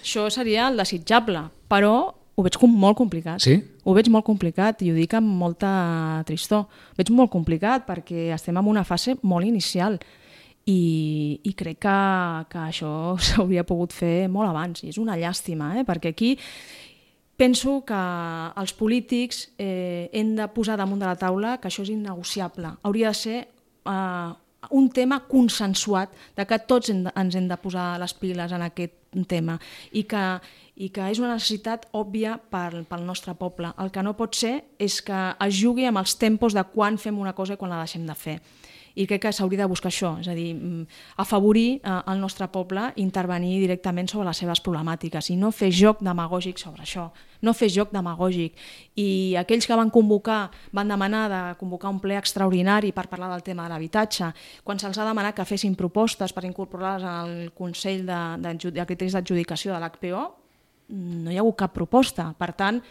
Això seria el desitjable, però ho veig com molt complicat. Sí? Ho veig molt complicat i ho dic amb molta tristor. Ho veig molt complicat perquè estem en una fase molt inicial i, i crec que, que això s'hauria pogut fer molt abans i és una llàstima, eh? Perquè aquí penso que els polítics eh, hem de posar damunt de la taula que això és innegociable. Hauria de ser eh, un tema consensuat, de que tots hem de, ens hem de posar les piles en aquest tema i que, i que és una necessitat òbvia pel, pel nostre poble. El que no pot ser és que es jugui amb els tempos de quan fem una cosa i quan la deixem de fer. I crec que s'hauria de buscar això, és a dir, afavorir eh, el nostre poble, intervenir directament sobre les seves problemàtiques i no fer joc demagògic sobre això, no fer joc demagògic. I aquells que van convocar, van demanar de convocar un ple extraordinari per parlar del tema de l'habitatge, quan se'ls ha demanat que fessin propostes per incorporar-les al Consell de, de, de criteris d'adjudicació de l'H P O, no hi ha hagut cap proposta. Per tant,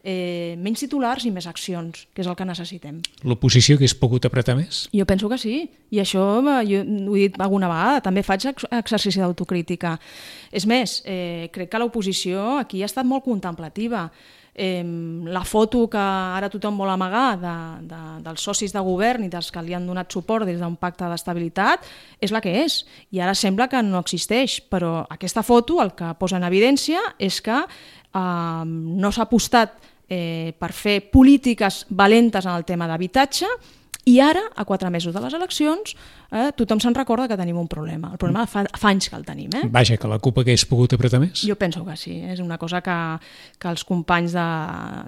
Eh, menys titulars i més accions, que és el que necessitem. L'oposició hagués pogut apretar més? Jo penso que sí, i això jo ho he dit alguna vegada, també faig exercici d'autocrítica. És més, eh, crec que l'oposició aquí ha estat molt contemplativa. Eh, la foto que ara tothom vol amagar de, de, dels socis de govern i dels que li han donat suport des d'un pacte d'estabilitat és la que és, i ara sembla que no existeix, però aquesta foto el que posa en evidència és que eh, no s'ha apostat Eh, per fer polítiques valentes en el tema d'habitatge I ara, a quatre mesos de les eleccions, eh, tothom se'n recorda que tenim un problema. El problema fa, fa anys que el tenim. Eh? Vaja, que la CUP hagués pogut apretar més? Jo penso que sí. És una cosa que, que els companys de,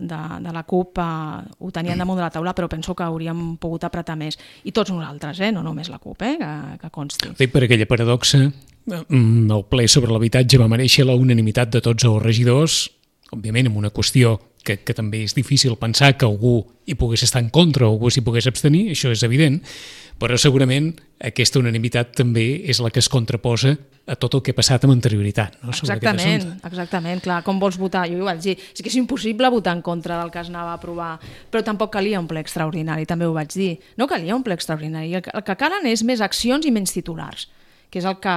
de, de la CUP eh, ho tenien damunt de la taula, però penso que hauríem pogut apretar més. I tots nosaltres, eh? No només la CUP, eh? que, que consti. Dic per aquella paradoxa, el ple sobre l'habitatge va mereixer la unanimitat de tots els regidors, òbviament amb una qüestió que, que també és difícil pensar que algú hi pogués estar en contra o algú s'hi pogués abstenir, això és evident, però segurament aquesta unanimitat també és la que es contraposa a tot el que ha passat amb anterioritat. No? Exactament, exactament, clar, com vols votar? Jo ho vaig dir, és que és impossible votar en contra del que es anava a aprovar, però tampoc calia un ple extraordinari, també ho vaig dir, no calia un ple extraordinari, el que, el que calen és més accions i menys titulars, que és el que,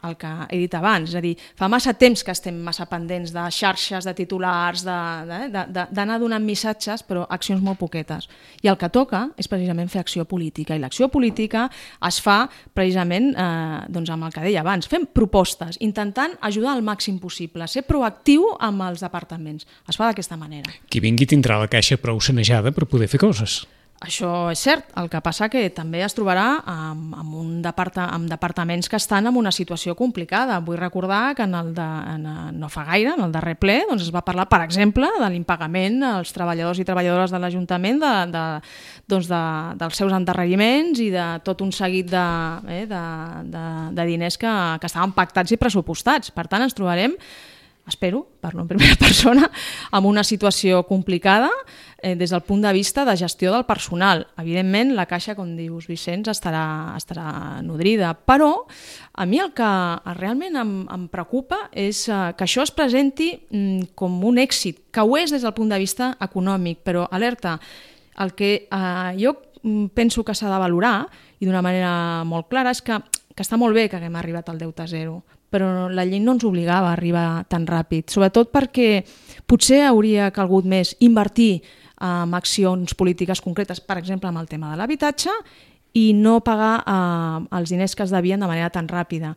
el que he dit abans, és a dir, fa massa temps que estem massa pendents de xarxes, de titulars, d'anar donant missatges, però accions molt poquetes. I el que toca és precisament fer acció política, i l'acció política es fa precisament eh, doncs amb el que deia abans, fent propostes, intentant ajudar al màxim possible, ser proactiu amb els departaments. Es fa d'aquesta manera. Qui vingui tindrà la caixa prou sanejada per poder fer coses. Això és cert, el que passa que també es trobarà amb, amb, un departa, amb departaments que estan en una situació complicada. Vull recordar que en el de, en, no fa gaire, en el darrer ple, doncs es va parlar, per exemple, de l'impagament als treballadors i treballadores de l'Ajuntament de, de, doncs de, dels seus endarreriments i de tot un seguit de, eh, de, de, de diners que, que estaven pactats i pressupostats. Per tant, ens trobarem, espero, parlo en primera persona, amb una situació complicada eh, des del punt de vista de gestió del personal. Evidentment, la caixa, com dius, Vicenç, estarà, estarà nodrida, però a mi el que realment em, em preocupa és eh, que això es presenti mm, com un èxit, que ho és des del punt de vista econòmic, però alerta, el que eh, jo penso que s'ha de valorar, i d'una manera molt clara, és que, que està molt bé que haguem arribat al deute zero, però la llei no ens obligava a arribar tan ràpid, sobretot perquè potser hauria calgut més invertir en accions polítiques concretes, per exemple, amb el tema de l'habitatge, i no pagar eh, els diners que es devien de manera tan ràpida.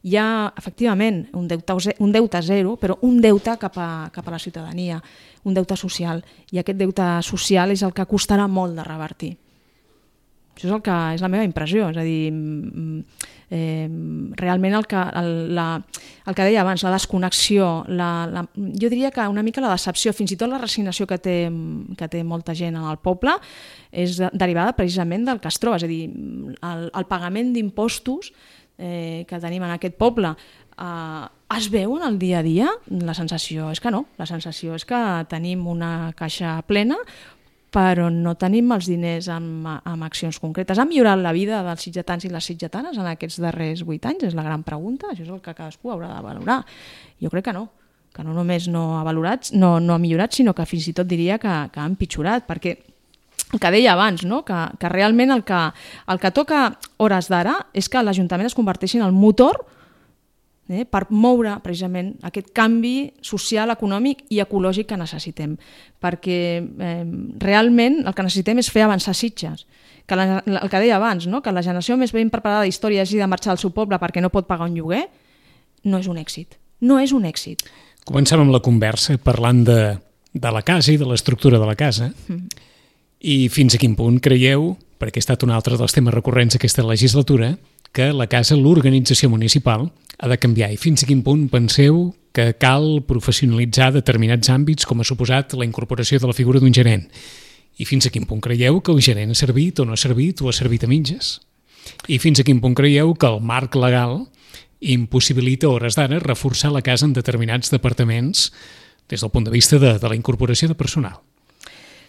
Hi ha, efectivament, un deute, un deute zero, però un deute cap a, cap a la ciutadania, un deute social, i aquest deute social és el que costarà molt de revertir. Això és, el que, és la meva impressió, és a dir, eh, realment el que, el, la, el que deia abans, la desconnexió, la, la, jo diria que una mica la decepció, fins i tot la resignació que té, que té molta gent en el poble, és derivada precisament del que es troba, és a dir, el, el pagament d'impostos eh, que tenim en aquest poble, eh, es veu en el dia a dia? La sensació és que no, la sensació és que tenim una caixa plena, però no tenim els diners amb, amb accions concretes. Ha millorat la vida dels sitgetans i les sitgetanes en aquests darrers vuit anys? És la gran pregunta. Això és el que cadascú haurà de valorar. Jo crec que no, que no només no ha valorat, no, no ha millorat, sinó que fins i tot diria que, que ha empitjorat, perquè el que deia abans, no? que, que realment el que, el que toca hores d'ara és que l'Ajuntament es converteixi en el motor Eh, per moure precisament aquest canvi social, econòmic i ecològic que necessitem. Perquè eh, realment el que necessitem és fer avançar Sitges. Que la, el que deia abans, no? Que la generació més ben preparada d'història hagi de marxar al seu poble perquè no pot pagar un lloguer, no és un èxit. No és un èxit. Començàvem amb la conversa parlant de, de la casa i de l'estructura de la casa. Mm. I fins a quin punt creieu, perquè ha estat un altre dels temes recurrents aquesta legislatura, que la casa, l'organització municipal, ha de canviar, i fins a quin punt penseu que cal professionalitzar determinats àmbits, com ha suposat la incorporació de la figura d'un gerent, i fins a quin punt creieu que el gerent ha servit o no ha servit o ha servit a mitges, i fins a quin punt creieu que el marc legal impossibilita a hores d'ara reforçar la casa en determinats departaments des del punt de vista de, de la incorporació de personal.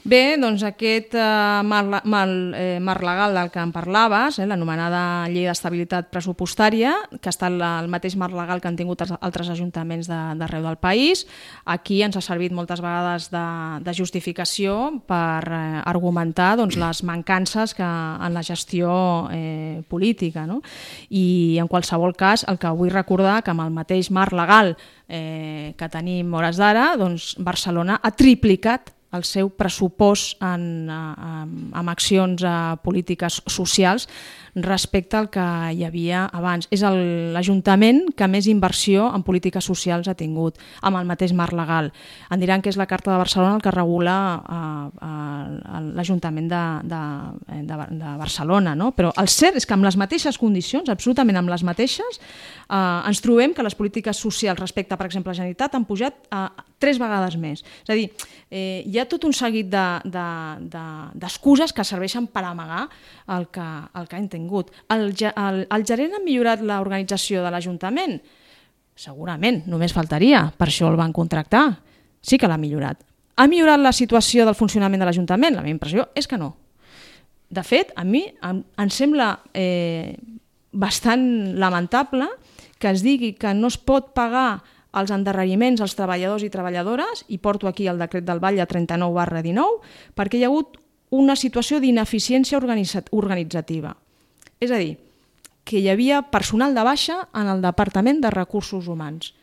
Bé, doncs aquest eh, marc, marc, eh, marc legal del que en parlaves, eh, l'anomenada Llei d'Estabilitat Pressupostària, que està el, el mateix marc legal que han tingut els altres ajuntaments d'arreu de, del país, aquí ens ha servit moltes vegades de, de justificació per eh, argumentar doncs, les mancances que, en la gestió eh, política. No? I en qualsevol cas, el que vull recordar que amb el mateix marc legal eh, que tenim hores d'ara, doncs Barcelona ha triplicat el seu pressupost en, en, en accions eh, polítiques socials respecte al que hi havia abans. És l'Ajuntament que més inversió en polítiques socials ha tingut, amb el mateix marc legal. En diran que és la Carta de Barcelona el que regula eh, eh, l'Ajuntament de, de, de, de Barcelona, no? Però el cert és que amb les mateixes condicions, absolutament amb les mateixes, eh, ens trobem que les polítiques socials respecte, per exemple, a la Generalitat han pujat eh, tres vegades més. És a dir, eh, hi ha tot un seguit d'excuses de, de, que serveixen per amagar el que, el que han tingut. El, el, el gerent ha millorat l'organització de l'Ajuntament? Segurament, només faltaria, per això el van contractar. Sí que l'ha millorat. Ha millorat la situació del funcionament de l'Ajuntament? La meva impressió és que no. De fet, a mi em, em sembla eh, bastant lamentable que es digui que no es pot pagar els endarreriments als treballadors i treballadores, i porto aquí el decret del Batlle trenta-nou barra dinou, perquè hi ha hagut una situació d'ineficiència organitzativa. És a dir, que hi havia personal de baixa en el Departament de Recursos Humans.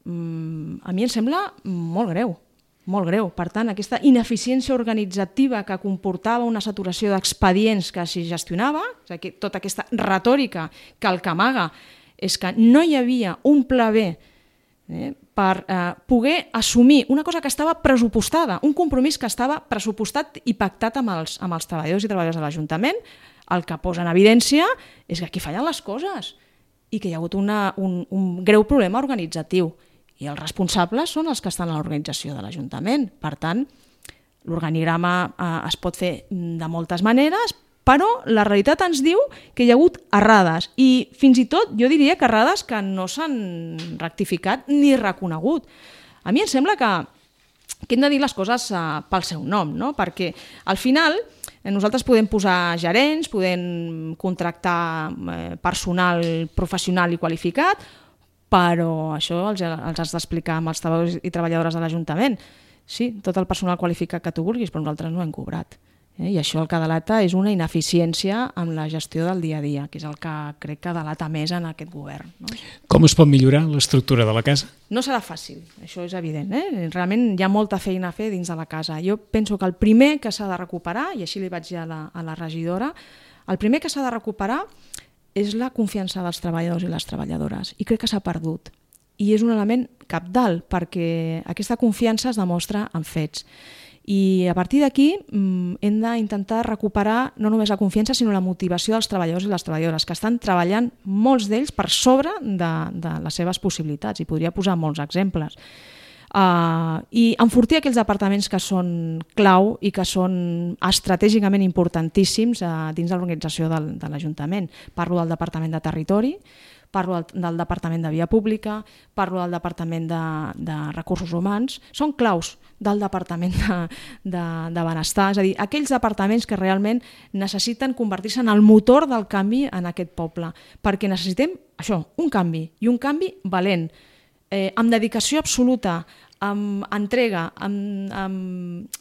Mm, a mi em sembla molt greu, molt greu. Per tant, aquesta ineficiència organitzativa que comportava una saturació d'expedients que s'hi gestionava, és a dir, tota aquesta retòrica que el que amaga és que no hi havia un pla B eh, per eh, poder assumir una cosa que estava pressupostada, un compromís que estava pressupostat i pactat amb els, amb els treballadors i treballadores de l'Ajuntament. El que posa en evidència és que aquí fallen les coses i que hi ha hagut una, un, un greu problema organitzatiu. I els responsables són els que estan a l'organització de l'Ajuntament. Per tant, l'organigrama eh, es pot fer de moltes maneres, però la realitat ens diu que hi ha hagut errades i fins i tot jo diria que errades que no s'han rectificat ni reconegut. A mi em sembla que, que hem de dir les coses eh, pel seu nom, no? Perquè al final eh, nosaltres podem posar gerents, podem contractar eh, personal professional i qualificat, però això els, els has d'explicar amb els treballadors i treballadores de l'Ajuntament. Sí, tot el personal qualificat que tu vulguis, però nosaltres no hem cobrat. Eh? I això el que delata és una ineficiència en la gestió del dia a dia, que és el que crec que delata més en aquest govern. No? Com es pot millorar l'estructura de la casa? No serà fàcil, això és evident. Eh? Realment hi ha molta feina a fer dins de la casa. Jo penso que el primer que s'ha de recuperar, i així li vaig dir a la, a la regidora, el primer que s'ha de recuperar és la confiança dels treballadors i les treballadores, i crec que s'ha perdut. I és un element cabdal, perquè aquesta confiança es demostra en fets. I a partir d'aquí hem d'intentar recuperar no només la confiança, sinó la motivació dels treballadors i les treballadores, que estan treballant molts d'ells per sobre de, de les seves possibilitats, i podria posar molts exemples. Uh, I enfortir aquells departaments que són clau i que són estratègicament importantíssims uh, dins de l'organització del, de l'Ajuntament. Parlo del Departament de Territori, parlo del, del Departament de Via Pública, parlo del Departament de, de Recursos Humans, són claus del Departament de, de, de Benestar, és a dir, aquells departaments que realment necessiten convertir-se en el motor del canvi en aquest poble, perquè necessitem això, un canvi, i un canvi valent, eh, amb dedicació absoluta, amb entrega, amb, amb,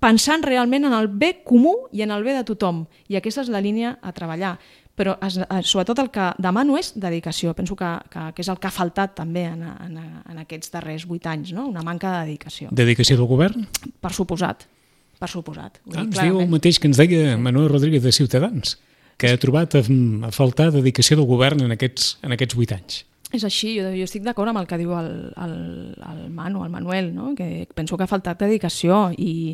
pensant realment en el bé comú i en el bé de tothom, i aquesta és la línia a treballar. Però es, sobretot el que demano és dedicació. Penso que, que, que és el que ha faltat també en, en, en aquests darrers vuit anys, no? Una manca de dedicació. Dedicació del govern? Per suposat, per suposat. Ah, ens diu el mateix que ens deia Manuel Rodríguez de Ciutadans, que ha trobat a, a faltar dedicació del govern en aquests, en aquests vuit anys. És així, jo, jo estic d'acord amb el que diu el, el, el Manu, el Manuel, no? Que penso que ha faltat dedicació i,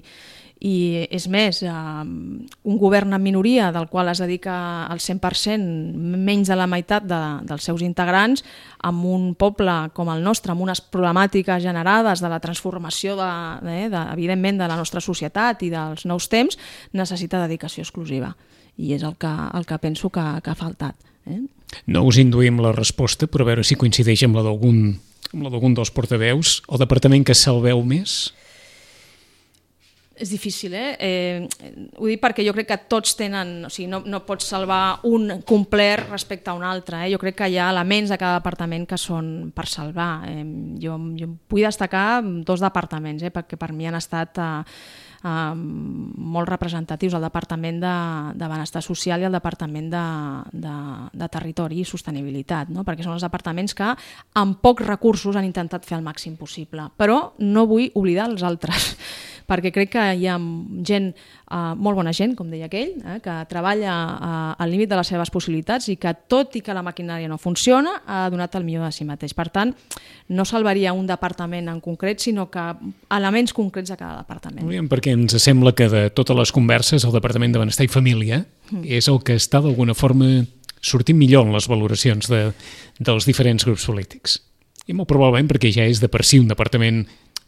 i és més, eh, un govern en minoria del qual es dedica al cent per cent, menys de la meitat de, dels seus integrants, amb un poble com el nostre, amb unes problemàtiques generades de la transformació de, de, de, evidentment de la nostra societat i dels nous temps, necessita dedicació exclusiva. I és el que, el que penso que, que ha faltat. Eh? No us induïm la resposta, però a veure si coincideix amb la d'algun amb la d'algun dels portaveus. El departament que salveu més? És difícil, eh? eh? Ho dic perquè jo crec que tots tenen... O sigui, no, no pots salvar un complet respecte a un altre. Eh? Jo crec que hi ha elements de cada departament que són per salvar. Eh, jo, jo vull destacar dos departaments, eh? Perquè per mi han estat... Eh, Uh, molt representatius, el Departament de, de Benestar Social i el Departament de, de, de Territori i Sostenibilitat, no? Perquè són els departaments que amb pocs recursos han intentat fer el màxim possible, però no vull oblidar els altres, perquè crec que hi ha gent, eh, molt bona gent, com deia aquell, eh, que treballa eh, al límit de les seves possibilitats i que, tot i que la maquinària no funciona, ha donat el millor de si mateix. Per tant, no salvaria un departament en concret, sinó que elements concrets de cada departament. Molt bé, perquè ens sembla que de totes les converses el Departament de Benestar i Família mm. és el que està d'alguna forma sortint millor en les valoracions de, dels diferents grups polítics. I molt probablement perquè ja és de per si un departament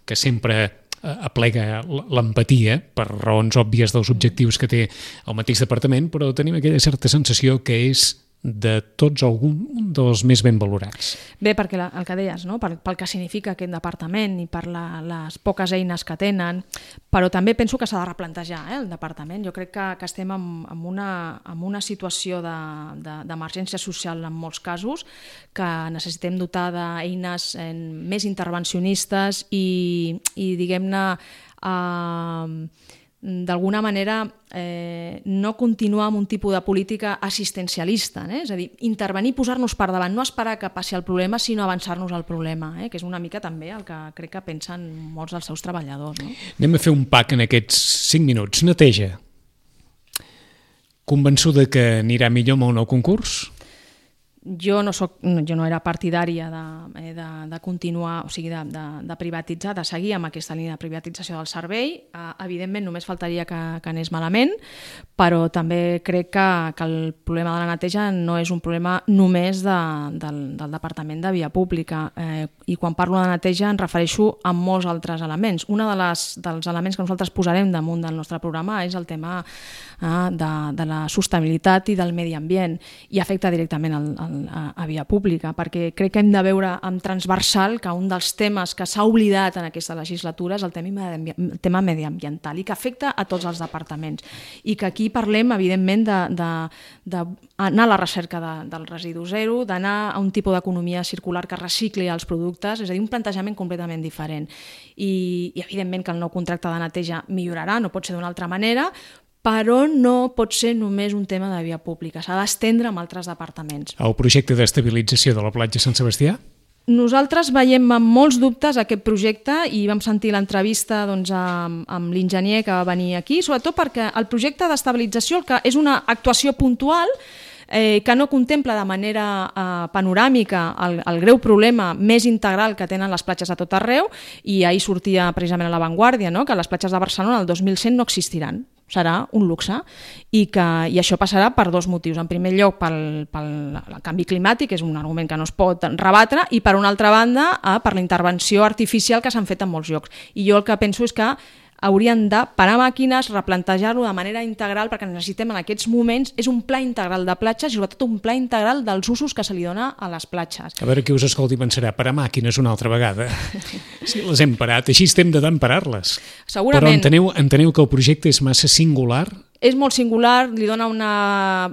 que sempre aplega l'empatia per raons òbvies dels objectius que té el mateix departament, però tenim aquella certa sensació que és de tots algun dels més ben valorats. Bé, perquè la, el que deies, no? pel, pel que significa aquest departament i per la, les poques eines que tenen, però també penso que s'ha de replantejar eh, el departament. Jo crec que, que estem en, en, una, en una situació d'emergència de, de, social en molts casos, que necessitem dotar d'eines eh, més intervencionistes i, i diguem-ne, eh, d'alguna manera eh, no continuar amb un tipus de política assistencialista, eh? És a dir, intervenir, posar-nos per davant, no esperar que passi el problema, sinó avançar-nos al problema, eh? Que és una mica també el que crec que pensen molts dels seus treballadors. No? Anem a fer un pack en aquests cinc minuts. Neteja. Convençuda que anirà millor amb el nou concurs? Jo no, soc, jo no era partidària de, de, de continuar, o sigui, de, de, de privatitzar, de seguir amb aquesta línia de privatització del servei. Uh, evidentment, només faltaria que, que anés malament, però també crec que, que el problema de la neteja no és un problema només de, del, del Departament de Via Pública. Eh, I quan parlo de neteja em refereixo a molts altres elements. Un de les, dels elements que nosaltres posarem damunt del nostre programa és el tema uh, de, de la sostenibilitat i del medi ambient, i afecta directament el, el A, a via pública, perquè crec que hem de veure amb transversal que un dels temes que s'ha oblidat en aquesta legislatura és el tema, el tema mediambiental i que afecta a tots els departaments, i que aquí parlem evidentment d'anar a la recerca de, del residu zero, d'anar a un tipus d'economia circular que recicli els productes, és a dir, un plantejament completament diferent, i, i evidentment que el nou contracte de neteja millorarà, no pot ser d'una altra manera, però no pot ser només un tema de via pública, s'ha d'estendre amb altres departaments. El projecte d'estabilització de la platja Sant Sebastià? Nosaltres veiem amb molts dubtes aquest projecte i vam sentir l'entrevista doncs, amb, amb l'enginyer que va venir aquí, sobretot perquè el projecte d'estabilització el que és una actuació puntual Eh, que no contempla de manera eh, panoràmica el, el greu problema més integral que tenen les platges a tot arreu, i ahir sortia precisament a La Vanguardia, no? Que les platges de Barcelona el dos mil cent no existiran, serà un luxe, i, que, i això passarà per dos motius. En primer lloc, pel, pel el canvi climàtic, que és un argument que no es pot rebatre, i per una altra banda, eh, per la intervenció artificial que s'han fet en molts llocs. I jo el que penso és que haurien de parar màquines, replantejar-ho de manera integral, perquè necessitem en aquests moments és un pla integral de platges i sobretot un pla integral dels usos que se li dona a les platges. A veure qui us escolti pensarà, parar màquines una altra vegada. Si les hem parat, així estem de tant parar-les. Segurament. Però enteneu, enteneu que el projecte és massa singular? És molt singular, li dona una,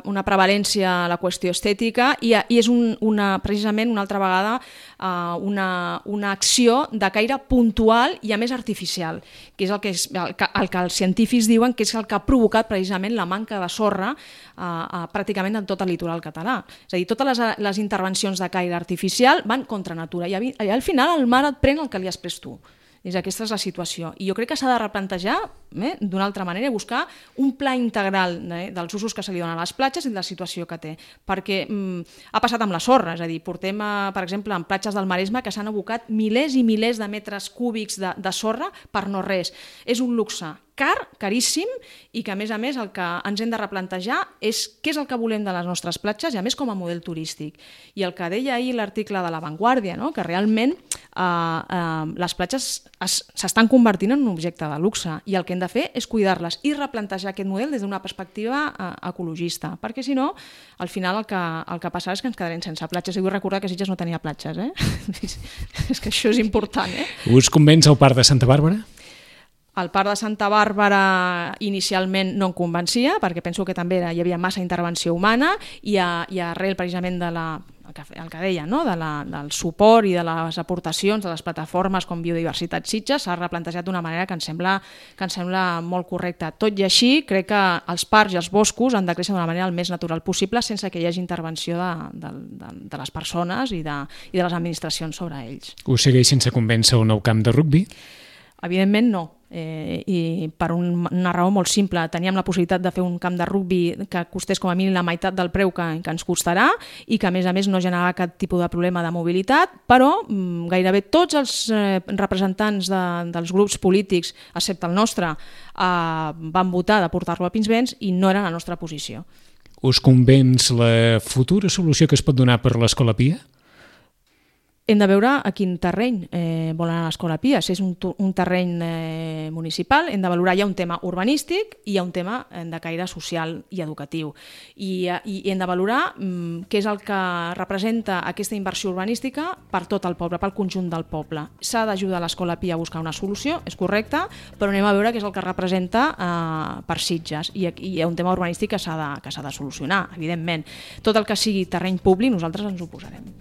una prevalència a la qüestió estètica i, i és un, una, precisament una altra vegada uh, una, una acció de caire puntual i a més artificial, que és el que, és, el, que, el que els científics diuen que és el que ha provocat precisament la manca de sorra uh, uh, pràcticament en tot el litoral català. És a dir, totes les, les intervencions de caire artificial van contra natura i, i al final el mar et pren el que li has pres tu. És, aquesta és la situació. I jo crec que s'ha de replantejar eh, d'una altra manera, buscar un pla integral eh, dels usos que se li donen a les platges i de la situació que té. Perquè mm, ha passat amb la sorra, és a dir, portem, a, per exemple, en platges del Maresme que s'han abocat milers i milers de metres cúbics de, de sorra per no res. És un luxe car, caríssim, i que a més a més el que ens hem de replantejar és què és el que volem de les nostres platges i a més com a model turístic. I el que deia ahir l'article de La Vanguardia, no? Que realment eh, eh, les platges s'estan convertint en un objecte de luxe i el que hem de fer és cuidar-les i replantejar aquest model des d'una perspectiva eh, ecologista, perquè si no, al final el que, el que passarà és que ens quedarem sense platges. I vull recordar que Sitges no tenia platges, eh? És que això és important, eh? Us convenç el Parc de Santa Bàrbara? El Parc de Santa Bàrbara inicialment no em convencia, perquè penso que també hi havia massa intervenció humana i, a, i arrel precisament de la, el, que, el que deia, no? de la, del suport i de les aportacions de les plataformes com Biodiversitat Sitges s'ha replantejat d'una manera que em sembla, que em sembla molt correcta. Tot i així, crec que els parcs i els boscos han de créixer d'una manera el més natural possible sense que hi hagi intervenció de, de, de, de les persones i de, i de les administracions sobre ells. Us segueix sense convèncer el nou camp de rugbi? Evidentment no. eh, i per un, una raó molt simple. Teníem la possibilitat de fer un camp de rugbi que costés com a mínim la meitat del preu que, que ens costarà i que a més a més no generava cap tipus de problema de mobilitat, però mm, gairebé tots els eh, representants de, dels grups polítics, excepte el nostre, eh, van votar de portar-lo a Pinsbens i no era la nostra posició. Us convenç la futura solució que es pot donar per l'Escola Pia? Hem de veure a quin terreny eh, vol anar l'Escola Pia. Si és un, un terreny eh, municipal, hem de valorar, hi ha un tema urbanístic i hi ha un tema eh, de caire social i educatiu. I, i hem de valorar mm, què és el que representa aquesta inversió urbanística per tot el poble, pel conjunt del poble. S'ha d'ajudar l'Escola Pia a buscar una solució, és correcte, però anem a veure què és el que representa eh, per Sitges. I, I hi ha un tema urbanístic que s'ha de, que s'ha de solucionar, evidentment. Tot el que sigui terreny públic, nosaltres ens oposarem.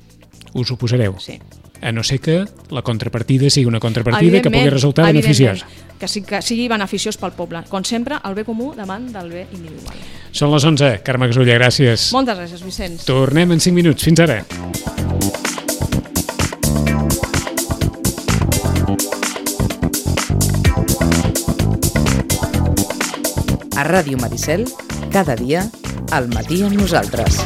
Us ho posareu? Sí. A no ser que la contrapartida sigui una contrapartida que pugui resultar beneficiosa. Que, sí, que sigui beneficiós pel poble. Com sempre, el bé comú davant del bé individual. Són les onze. Carme Gasulla, gràcies. Moltes gràcies, Vicenç. Tornem en cinc minuts. Fins ara. A Ràdio Maricel, cada dia, al matí amb nosaltres.